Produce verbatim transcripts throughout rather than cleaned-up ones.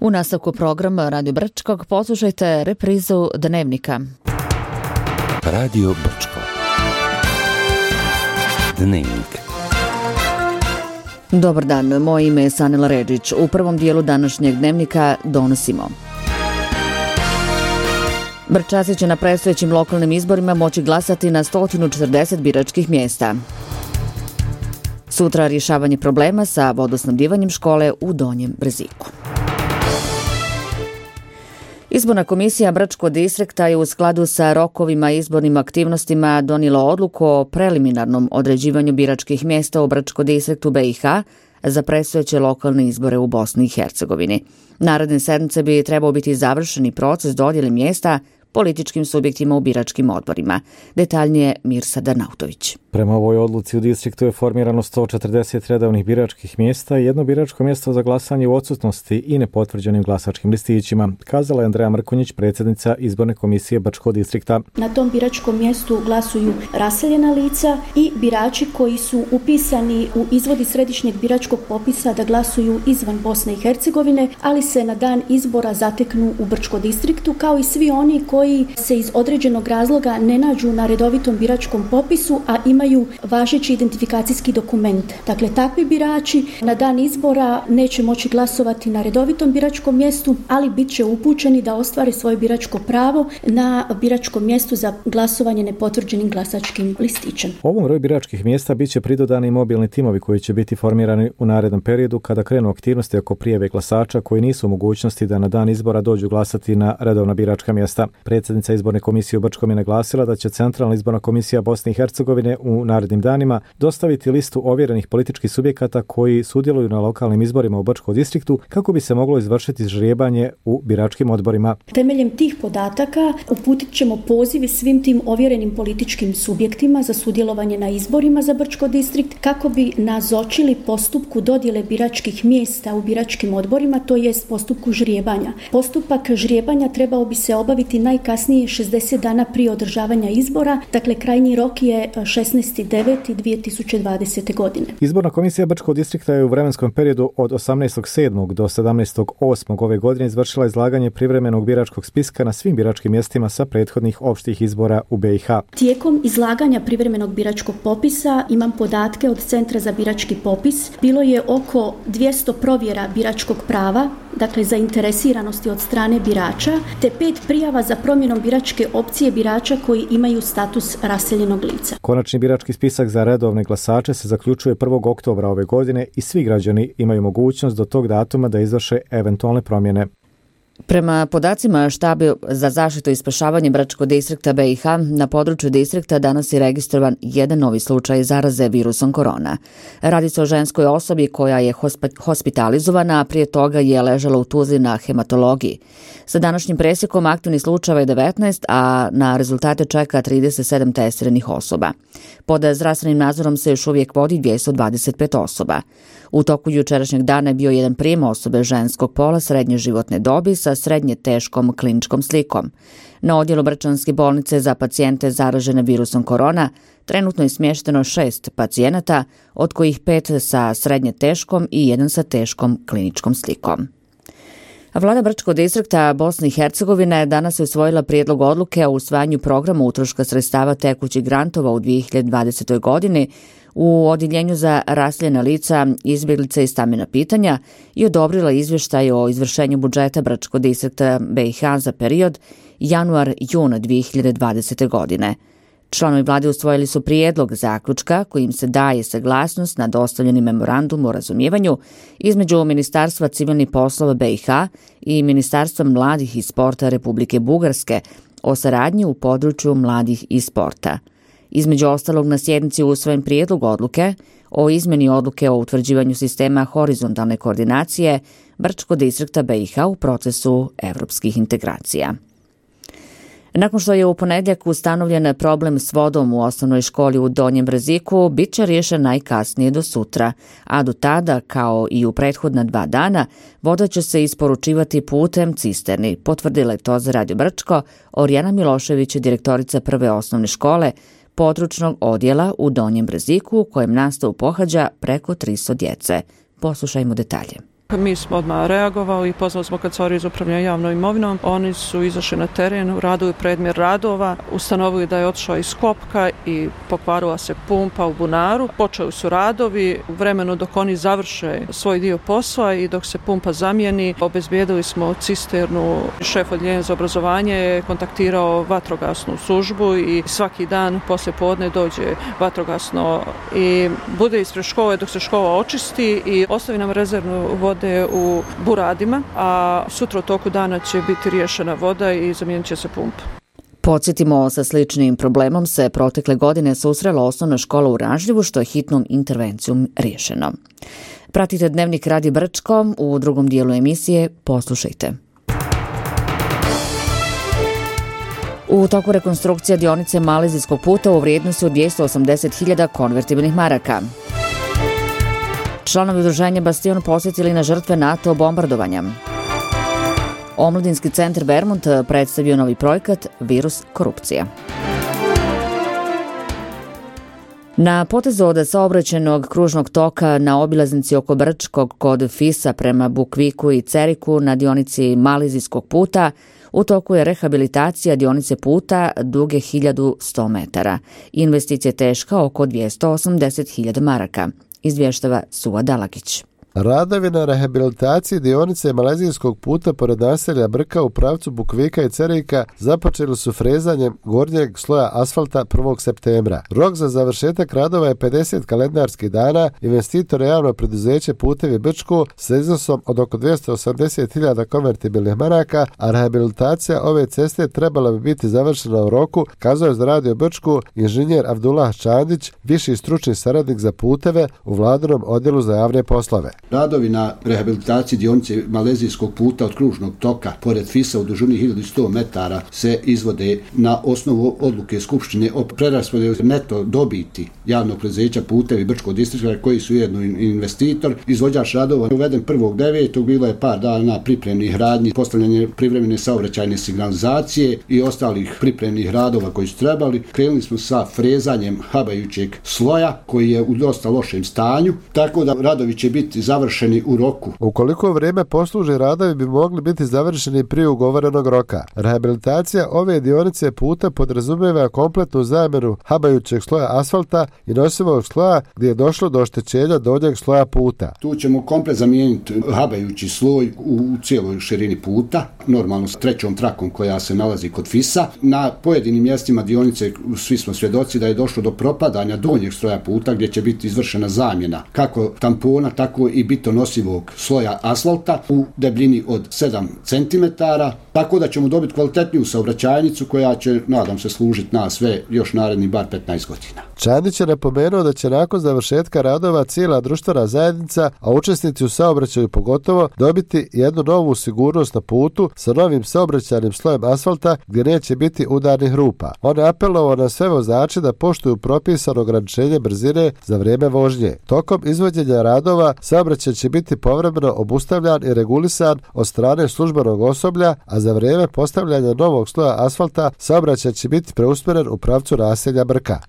U nastavku programa Radio Brčkog poslušajte reprizu Dnevnika. Radio Brčko. Dnevnik. Dobar dan, moje ime je Sanela Redžić. U prvom dijelu današnjeg Dnevnika donosimo. Brčaci će na predstojećim lokalnim izborima moći glasati na sto četrdeset biračkih mjesta. Sutra rješavanje problema sa vodosnabdivanjem škole u Donjem Brziku. Izborna komisija Brčkog distrikta je u skladu sa rokovima i izbornim aktivnostima donijela odluku o preliminarnom određivanju biračkih mjesta u Brčkom distriktu B i H za predstojeće lokalne izbore u Bosni i Hercegovini. Naredne sedmice bi trebao biti završeni proces dodjele mjesta političkim subjektima u biračkim odborima. Detaljnije Mirsad Arnautović. Prema ovoj odluci u distriktu je formirano sto četrdeset redovnih biračkih mjesta i jedno biračko mjesto za glasanje u odsutnosti i nepotvrđenim glasačkim listićima, kazala je Andreja Mrkonjić, predsjednica izborne komisije Brčkog distrikta. Na tom biračkom mjestu glasuju raseljena lica i birači koji su upisani u izvodi središnjeg biračkog popisa da glasuju izvan Bosne i Hercegovine, ali se na dan izbora zateknu u Brčkom distriktu, kao i svi oni koji se iz određenog razloga ne nađu na redovitom biračkom popisu, a imaju važeći identifikacijski dokument. Dakle, takvi birači na dan izbora neće moći glasovati na redovitom biračkom mjestu, ali bit će upućeni da ostvare svoje biračko pravo na biračkom mjestu za glasovanje nepotvrđenim glasačkim listićem. Ovom broju biračkih mjesta bit će pridodani mobilni timovi koji će biti formirani u narednom periodu kada krenu aktivnosti oko prijave glasača koji nisu u mogućnosti da na dan izbora dođu glasati na redovna biračka mjesta. Predsjednica izborne komisije u Brčkom je naglasila da će Centralna izborna komisija Bosne i Hercegovine u narednim danima dostaviti listu ovjerenih političkih subjekata koji sudjeluju na lokalnim izborima u Brčkom distriktu kako bi se moglo izvršiti ždrijebanje u biračkim odborima. Temeljem tih podataka uputit ćemo poziv svim tim ovjerenim političkim subjektima za sudjelovanje na izborima za Brčko distrikt kako bi nazočili postupku dodjele biračkih mjesta u biračkim odborima, to jest postupku ždrijebanja. Postupak ždrijebanja trebao bi se obaviti najkasnije šezdeset dana prije održavanja izbora, dakle krajnji rok je šesnaesti deveti dvije tisuće dvadesete. godine. Izborna komisija Brčkog distrikta je u vremenskom periodu od osamnaestog sedmog do sedamnaestog osmog ove godine izvršila izlaganje privremenog biračkog spiska na svim biračkim mjestima sa prethodnih opštih izbora u B i H. Tijekom izlaganja privremenog biračkog popisa imam podatke od Centra za birački popis. Bilo je oko dvjesto provjera biračkog prava, dakle zainteresiranosti od strane birača, te pet prijava za promjenom biračke opcije birača koji imaju status raseljenog lica. Konačni birački spisak za redovne glasače se zaključuje prvog oktobra ove godine i svi građani imaju mogućnost do tog datuma da izvrše eventualne promjene. Prema podacima Štaba za zaštitu i spašavanje Brčkog distrikta B i H, na području distrikta danas je registrovan jedan novi slučaj zaraze virusom korona. Radi se o ženskoj osobi koja je hospitalizovana, a prije toga je ležala u Tuzli na hematologiji. Sa današnjim presjekom aktivnih slučajeva je devetnaest, a na rezultate čeka trideset sedam testiranih osoba. Pod zdravstvenim nadzorom se još uvijek vodi dvjesto dvadeset pet osoba. U toku jučerašnjeg dana je bio jedan prijem osobe ženskog pola srednje životne dobi sa srednje teškom kliničkom slikom. Na odjelu Brčanske bolnice za pacijente zaražene virusom korona trenutno je smješteno šest pacijenata, od kojih pet sa srednje teškom i jedan sa teškom kliničkom slikom. Vlada Brčkog distrikta Bosne i Hercegovine danas je usvojila prijedlog odluke o usvajanju programa utroška sredstava tekućih grantova u dvije hiljade dvadesetoj. godini u odjeljenju za raseljena lica, izbjeglice i stambena pitanja i odobrila izvještaj o izvršenju budžeta Brčkog distrikta B i H za period januar-jun dvije hiljade dvadesete. godine. Članovi vlade usvojili su prijedlog zaključka kojim se daje saglasnost na dostavljeni memorandum o razumijevanju između Ministarstva civilnih poslova B i H i Ministarstva mladih i sporta Republike Bugarske o saradnji u području mladih i sporta. Između ostalog, na sjednici usvojen prijedlog odluke o izmjeni odluke o utvrđivanju sistema horizontalne koordinacije Brčkog distrikta B i H u procesu evropskih integracija. Nakon što je u ponedjeljak ustanovljen problem s vodom u osnovnoj školi u Donjem Brziku, bit će riješen najkasnije do sutra, a do tada, kao i u prethodna dva dana, voda će se isporučivati putem cisterni, potvrdila je to za Radio Brčko Orijana Milošević, direktorica prve osnovne škole područnog odjela u Donjem Brziku, u kojem nastavu pohađa preko tristo djece. Poslušajmo detalje. Mi smo odmah reagovali i pozvali smo kancelariju za upravljanje javnom imovinom. Oni su izašli na teren, uradili predmjer radova, ustanovili da je otišao iz kopka i pokvarila se pumpa u bunaru. Počeli su radovi, u vremenu dok oni završe svoj dio posla i dok se pumpa zamijeni, obezbijedili smo cisternu. Šef odjeljenja za obrazovanje je kontaktirao vatrogasnu službu i svaki dan poslije podne dođe vatrogasno i bude ispred škole dok se škola očisti i ostavi nam rezervnu vode u buradima, a sutra u toku dana će biti riješena voda i zamijenit će se pumpa. Podsjetimo, sa sličnim problemom se protekle godine susrela osnovna škola u Ražljivu, što je hitnom intervencijom riješeno. Pratite Dnevnik Radio Brčko, u drugom dijelu emisije poslušajte. U toku rekonstrukcija dionice Malezijskog puta u vrijednosti od dvjesto osamdeset hiljada konvertibilnih maraka. Članovi udruženja Bastion posjetili na žrtve NATO bombardovanja. Omladinski centar Vermont predstavio novi projekat Virus korupcija. Na potezu od saobraćajnog kružnog toka na obilaznici oko Brčkog kod Fisa prema Bukviku i Ceriku na dionici Malezijskog puta u toku je rehabilitacija dionice puta duge hiljadu sto metara. Investicija je teška oko dvjesto osamdeset hiljada maraka, izvještava Suva Dalakić. Radovi na rehabilitaciji dionice Malezijskog puta pored naselja Brka u pravcu Bukvika i Cerika započeli su frezanjem gornjeg sloja asfalta prvog septembra. Rok za završetak radova je pedeset kalendarskih dana. Investitor je javno preduzeće Putevi Brčko sa iznosom od oko dvjesto osamdeset hiljada konvertibilnih maraka, a rehabilitacija ove ceste trebala bi biti završena u roku, kazao je za Radio Brčko inženjer Abdullah Čandić, viši stručni saradnik za puteve u vladinom odjelu za javne poslove. Radovi na rehabilitaciji dionice Malezijskog puta od kružnog toka pored Fisa u dužini hiljadu sto metara se izvode na osnovu odluke Skupštine o preraspodjeli neto dobiti javnog preduzeća Putevi Brčkog distrikta koji su jedno investitor. Izvođač radova uveden prvog devetog bilo je par dana pripremnih radnji, postavljanje privremene saobraćajne signalizacije i ostalih pripremnih radova koji su trebali. Krenuli smo sa frezanjem habajućeg sloja koji je u dosta lošem stanju, tako da radovi će biti završeni u roku. Ukoliko vrijeme posluži, radovi bi mogli biti završeni prije ugovorenog roka. Rehabilitacija ove dionice puta podrazumijeva kompletnu zamjenu habajućeg sloja asfalta i nosivog sloja gdje je došlo do oštećenja donjeg sloja puta. Tu ćemo komplet zamijeniti habajući sloj u cijeloj širini puta, normalno s trećom trakom koja se nalazi kod Fisa. Na pojedinim mjestima dionice svi smo svjedoci da je došlo do propadanja donjeg sloja puta gdje će biti izvršena zamjena kako tampona, tako i bitonosivog sloja asfalta u debljini od sedam centimetara, tako da ćemo dobiti kvalitetniju saobraćajnicu koja će, nadam se, služiti nas sve još naredni bar petnaest godina. Čandić je napomenuo da će nakon završetka radova cijela društvena zajednica, a učesnici u saobraćaju pogotovo, dobiti jednu novu sigurnost na putu sa novim saobraćajnim slojem asfalta gdje neće biti udarnih rupa. On je apelovao na sve vozače da poštuju propisano ograničenje brzine za vrijeme vožnje. Tokom izvođenja radova saobraćaj će biti povremeno obustavljan i regulisan od strane službenog osoblja, a za vrijeme postavljanja novog sloja asfalta saobraćaj će biti preusmjeren u pravcu naselja Brka.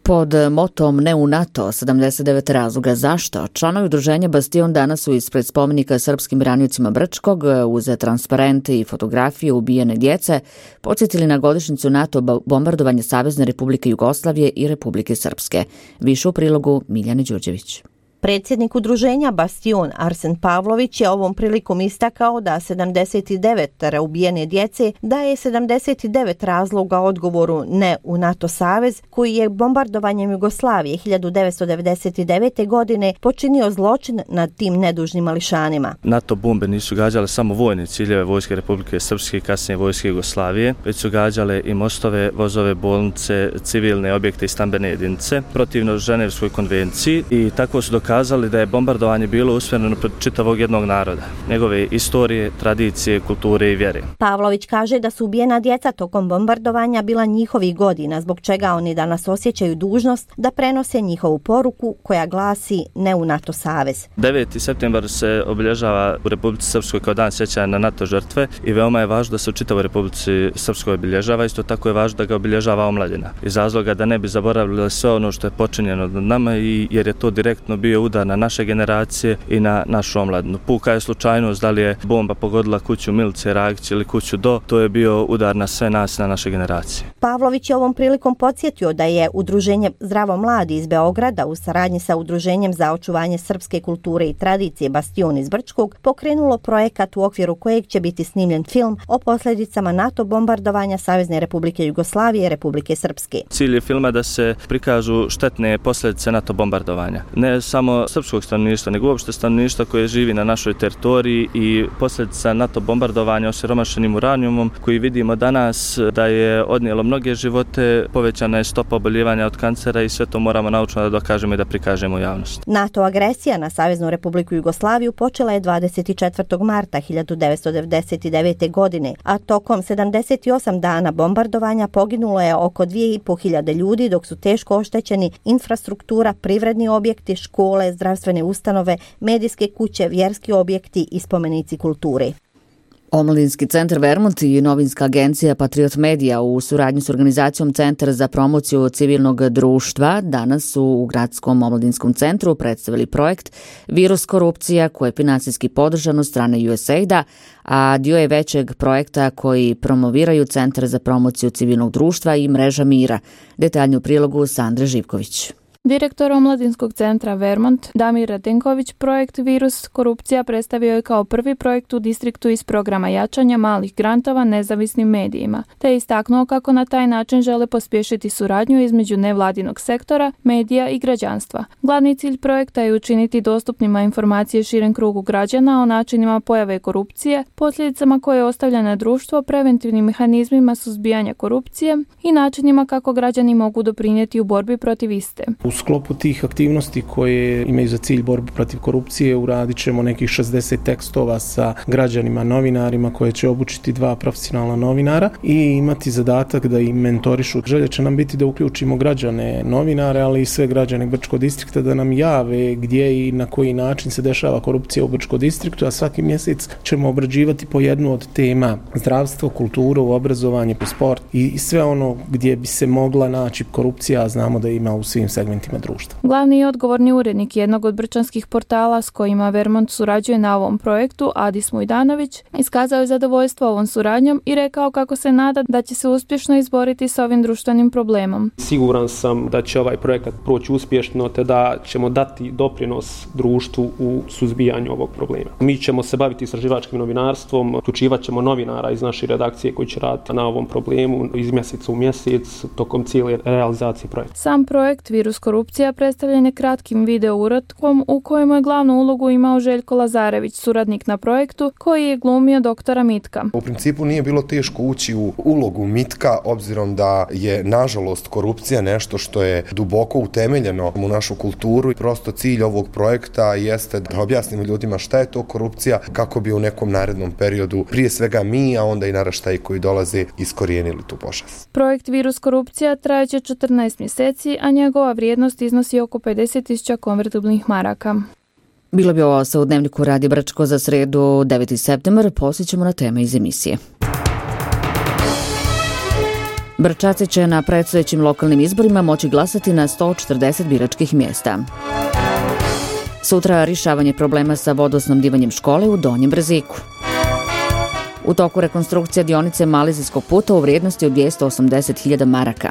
Pod motom Ne u NATO, sedamdeset devet razloga zašto, članovi udruženja Bastion danas su ispred spomenika srpskim braniteljima Brčkog uz transparente i fotografije ubijene djece podsjetili na godišnjicu NATO bombardovanja Savezne Republike Jugoslavije i Republike Srpske. Više u prilogu Miljane Đurđević. Predsjednik udruženja Bastion Arsen Pavlović je ovom prilikom istakao da sedamdeset devet ubijene djece daje sedamdeset devet razloga odgovoru ne u NATO savez koji je bombardovanjem Jugoslavije hiljadu devetsto devedeset devete. godine počinio zločin nad tim nedužnim mališanima. NATO bombe nisu gađale samo vojne ciljeve Vojske Republike Srpske i kasnije Vojske Jugoslavije, već su gađale i mostove, vozove, bolnice, civilne objekte i stambene jedinice protivno Ženevskoj konvenciji i tako su dokazali kazali da je bombardovanje bilo usmjereno protiv čitavog jednog naroda, njegove istorije, tradicije, kulture i vjere. Pavlović kaže da su ubijena djeca tokom bombardovanja bila njihovih godina, zbog čega oni danas osjećaju dužnost da prenose njihovu poruku koja glasi ne u NATO savez. deveti septembar se obilježava u Republici Srpskoj kao dan sjećanja na NATO žrtve i veoma je važno da se u čitavoj Republici Srpskoj obilježava, isto tako je važno da ga obilježava omladina. Iz razloga da ne bi zaboravili sve ono što je počinjeno nad nama i jer je to direktno bio bio udar na naše generacije i na našu omladinu. Puka je slučajnost da li je bomba pogodila kuću Milice Ragić ili kuću Do, to je bio udar na sve nas, na naše generacije. Pavlović je ovom prilikom podsjetio da je Udruženje Zdravo mladi iz Beograda u saradnji sa Udruženjem za očuvanje srpske kulture i tradicije Bastion iz Brčkog pokrenulo projekat u okviru kojeg će biti snimljen film o posljedicama NATO bombardovanja Savezne Republike Jugoslavije i Republike Srpske. Cilj je filma da se prikažu štetne posljedice NATO bombardovanja. Ne samo srpskog stanovništva, nego uopšte stanovništva koje živi na našoj teritoriji i posljedica NATO bombardovanja osiromašenim uranijumom koji vidimo danas da je odnijelo mnoge živote, povećana je stopa oboljevanja od kancera i sve to moramo naučno da dokažemo i da prikažemo javnost. NATO agresija na Saveznu Republiku Jugoslaviju počela je dvadeset četvrtog marta hiljadu devetsto devedeset devete. godine, a tokom sedamdeset osam dana bombardovanja poginulo je oko dvije i po hiljade ljudi, dok su teško oštećeni infrastruktura, privredni objekti, škole, zdravstvene ustanove, medijske kuće, vjerski objekti i spomenici kulture. Omladinski centar Vermont i novinska agencija Patriot Media u suradnji s organizacijom Centar za promociju civilnog društva danas su u Gradskom omladinskom centru predstavili projekt Virus korupcija koji je finansijski podržan od strane U S A I D-a, a dio je većeg projekta koji promoviraju Centar za promociju civilnog društva i Mreža mira. Detaljnju u prilogu Sandre Živković. Direktor Omladinskog centra Vermont, Damir Radenković, projekt Virus korupcija predstavio je kao prvi projekt u distriktu iz programa jačanja malih grantova nezavisnim medijima, te je istaknuo kako na taj način žele pospješiti suradnju između nevladinog sektora, medija i građanstva. Glavni cilj projekta je učiniti dostupnima informacije širem krugu građana o načinima pojave korupcije, posljedicama koje ostavlja na društvo, preventivnim mehanizmima suzbijanja korupcije i načinima kako građani mogu doprinijeti u borbi protiv iste. U sklopu tih aktivnosti koje imaju za cilj borbu protiv korupcije uradit ćemo nekih šezdeset tekstova sa građanima, novinarima koje će obučiti dva profesionalna novinara i imati zadatak da im mentorišu. Želja će nam biti da uključimo građane, novinare, ali i sve građane Brčkog distrikta da nam jave gdje i na koji način se dešava korupcija u Brčkom distriktu, a svaki mjesec ćemo obrađivati po jednu od tema: zdravstvo, kulturu, obrazovanje, sport i sve ono gdje bi se mogla naći korupcija, a znamo da ima u svim segmentima društva. Glavni i odgovorni urednik jednog od brčanskih portala s kojima Vermont surađuje na ovom projektu, Adis Mujdanović, iskazao je zadovoljstvo ovom suradnjom i rekao kako se nada da će se uspješno izboriti s ovim društvenim problemom. Siguran sam da će ovaj projekat proći uspješno te da ćemo dati doprinos društvu u suzbijanju ovog problema. Mi ćemo se baviti istraživačkim novinarstvom, uključivat ćemo novinara iz naše redakcije koji će raditi na ovom problemu iz mjeseca u mjesec tokom cijele realizacije projekta. Sam projekt Virus korupcija predstavljen je kratkim video uratkom u kojemu je glavnu ulogu imao Željko Lazarević, suradnik na projektu, koji je glumio doktora Mitka. U principu nije bilo teško ući u ulogu Mitka, obzirom da je nažalost korupcija nešto što je duboko utemeljeno u našu kulturu i prosto cilj ovog projekta jeste da objasnimo ljudima šta je to korupcija kako bi u nekom narednom periodu prije svega mi, a onda i naraštaji koji dolaze iskorijenili tu pošast. Projekt Virus korupcija trajaće četrnaest mjeseci, a njegova vrijednost iznosi oko pedeset tisuća konvertibilnih maraka. Bilo bi ovo sa u Dnevniku Radio Brčko za sredu deveti septembar. Poslije ćemo na teme iz emisije. Brčaci će na predstojećim lokalnim izborima moći glasati na sto četrdeset biračkih mjesta. Sutra rješavanje problema sa vodosnabdivanjem škole u Donjem Brziku. U toku rekonstrukcija dionice Malezijskog puta u vrijednosti od dvjesto osamdeset hiljada maraka.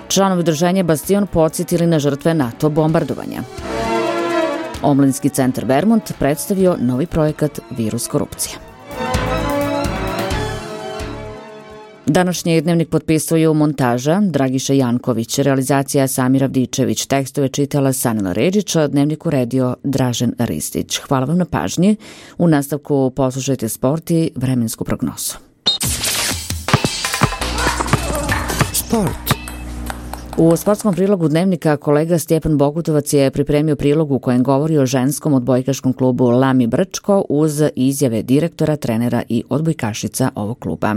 Članovi udruženja Bastion podsjetili na žrtve NATO bombardovanja. Omladinski centar Vermont predstavio novi projekat Virus korupcija. Današnji dnevnik potpisuju montaža Dragiša Janković, realizacija Samir Avdičević, tekstove čitala Sanila Ređić, dnevnik uredio Dražen Ristić. Hvala vam na pažnji. U nastavku poslušajte sport i vremensku prognozu. Sport. U sportskom prilogu dnevnika kolega Stjepan Bogutovac je pripremio prilog u kojem govori o ženskom odbojkaškom klubu Lami Brčko uz izjave direktora, trenera i odbojkašica ovog kluba.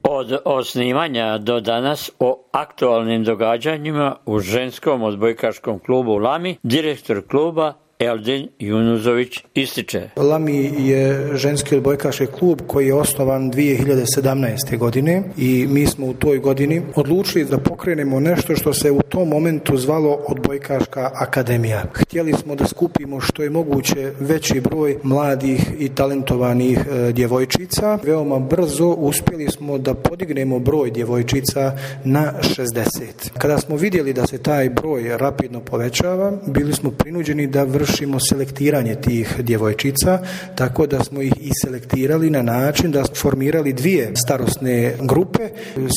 Od osnivanja do danas o aktualnim događanjima u ženskom odbojkaškom klubu Lami, direktor kluba Eldin Junuzović ističe. Lami je ženski odbojkaški klub koji je osnovan dvije hiljade sedamnaeste. godine i mi smo u toj godini odlučili da pokrenemo nešto što se u tom momentu zvalo Odbojkaška akademija. Htjeli smo da skupimo što je moguće veći broj mladih i talentovanih e, djevojčica. Veoma brzo uspjeli smo da podignemo broj djevojčica na šezdeset. Kada smo vidjeli da se taj broj rapidno povećava, bili smo prinuđeni da vršimo selektiranje tih djevojčica, tako da smo ih i selektirali na način da smo formirali dvije starosne grupe.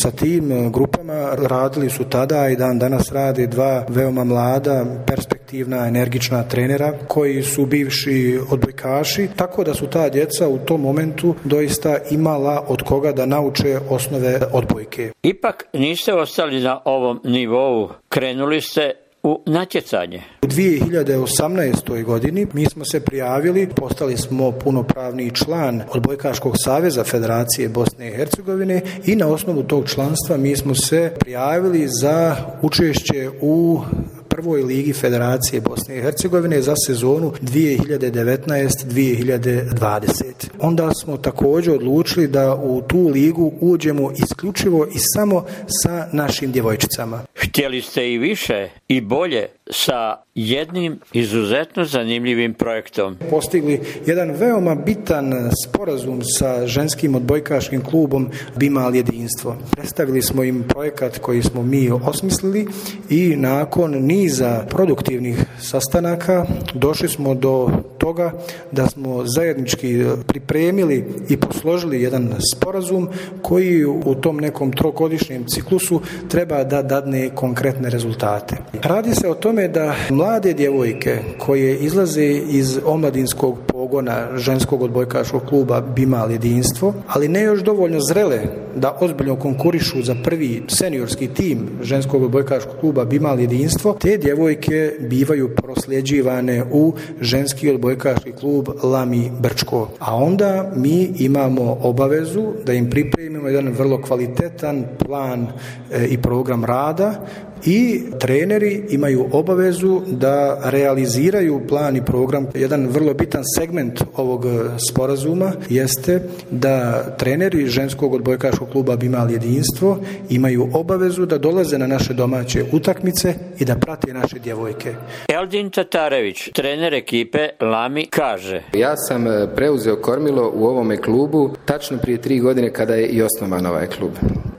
Sa tim grupama radili su tada i dan danas rade dva veoma mlada, perspektivna, energična trenera koji su bivši odbojkaši, tako da su ta djeca u tom momentu doista imala od koga da nauče osnove odbojke. Ipak niste ostali na ovom nivou, krenuli ste u natjecanje. U dvije hiljade osamnaestoj godini mi smo se prijavili, postali smo punopravni član Odbojkaškog saveza Federacije Bosne i Hercegovine i na osnovu tog članstva mi smo se prijavili za učešće u prvoj ligi Federacije Bosne i Hercegovine za sezonu dvije hiljade devetnaeste dvije hiljade dvadesete. Onda smo također odlučili da u tu ligu uđemo isključivo i samo sa našim djevojčicama. Htjeli ste i više i bolje sa jednim izuzetno zanimljivim projektom. Postigli jedan veoma bitan sporazum sa ženskim odbojkaškim klubom Bimal jedinstvo. Predstavili smo im projekat koji smo mi osmislili i nakon niza produktivnih sastanaka došli smo do toga da smo zajednički pripremili i posložili jedan sporazum koji u tom nekom trogodišnjem ciklusu treba da dadne konkretne rezultate. Radi se o tome da mlade djevojke koje izlaze iz omladinskog pogona ženskog odbojkaškog kluba Bimal jedinstvo, ali ne još dovoljno zrele da ozbiljno konkurišu za prvi seniorski tim ženskog odbojkaškog kluba Bimal jedinstvo, te djevojke bivaju prosljeđivane u ženski odbojkaški klub Lami Brčko. A onda mi imamo obavezu da im pripremimo jedan vrlo kvalitetan plan e, i program rada i treneri imaju obavezu da realiziraju plan i program. Jedan vrlo bitan segment ovog sporazuma jeste da treneri ženskog odbojkaškog kluba Bimal jedinstvo imaju obavezu da dolaze na naše domaće utakmice i da prate naše djevojke. Eldin Tatarević, trener ekipe Lami, kaže: Ja sam preuzeo kormilo u ovome klubu tačno prije tri godine kada je i osnovan ovaj klub.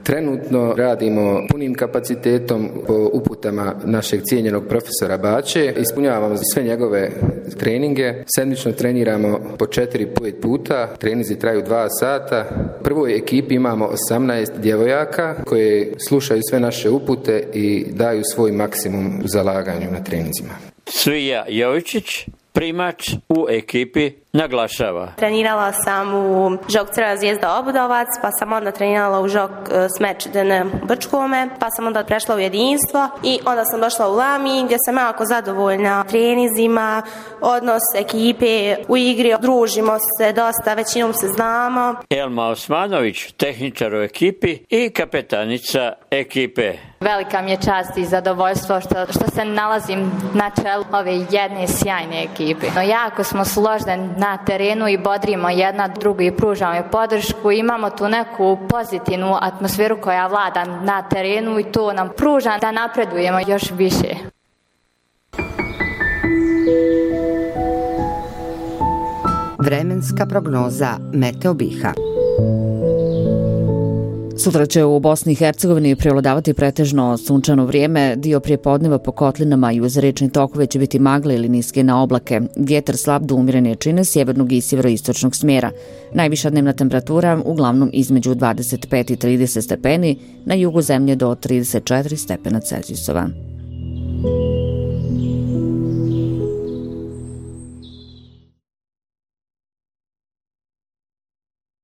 Trenutno radimo punim kapacitetom po uputama našeg cijenjenog profesora Bače. Ispunjavamo sve njegove treninge. Sedmično treniramo po četiri pet puta. Treninzi traju dva sata. U prvoj ekipi imamo osamnaest djevojaka koje slušaju sve naše upute i daju svoj maksimum u zalaganju na treninzima. Svija Jovičić, primač u ekipi, naglašava: Trenirala sam u žok Crvena Zvijezda Obudovac, pa sam onda trenirala u žok Smeč D N Brčkome, pa sam onda prešla u jedinstvo i onda sam došla u Lami gdje sam jako zadovoljna treninzima, odnos ekipe u igri, družimo se dosta, većinom se znamo. Elma Osmanović, tehničar u ekipi i kapetanica ekipe. Velika mi je čast i zadovoljstvo što, što se nalazim na čelu ove jedne sjajne ekipe. No, jako smo složeni na terenu i bodrimo jedna drugu i pružamo je podršku. Imamo tu neku pozitivnu atmosferu koja vlada na terenu i to nam pruža da napredujemo još više. Vremenska prognoza Meteo Biha. Sutra će u Bosni i Hercegovini prevladavati pretežno sunčano vrijeme, dio prijepodneva po kotlinama i uz rečne tokove će biti magle ili niske na oblake. Vjetar slab do umjerene jačine sjevernog i sjeveroistočnog smjera. Najviša dnevna temperatura uglavnom između dvadeset pet i trideset stepeni, na jugu zemlje do trideset četiri stepena Celzijusova.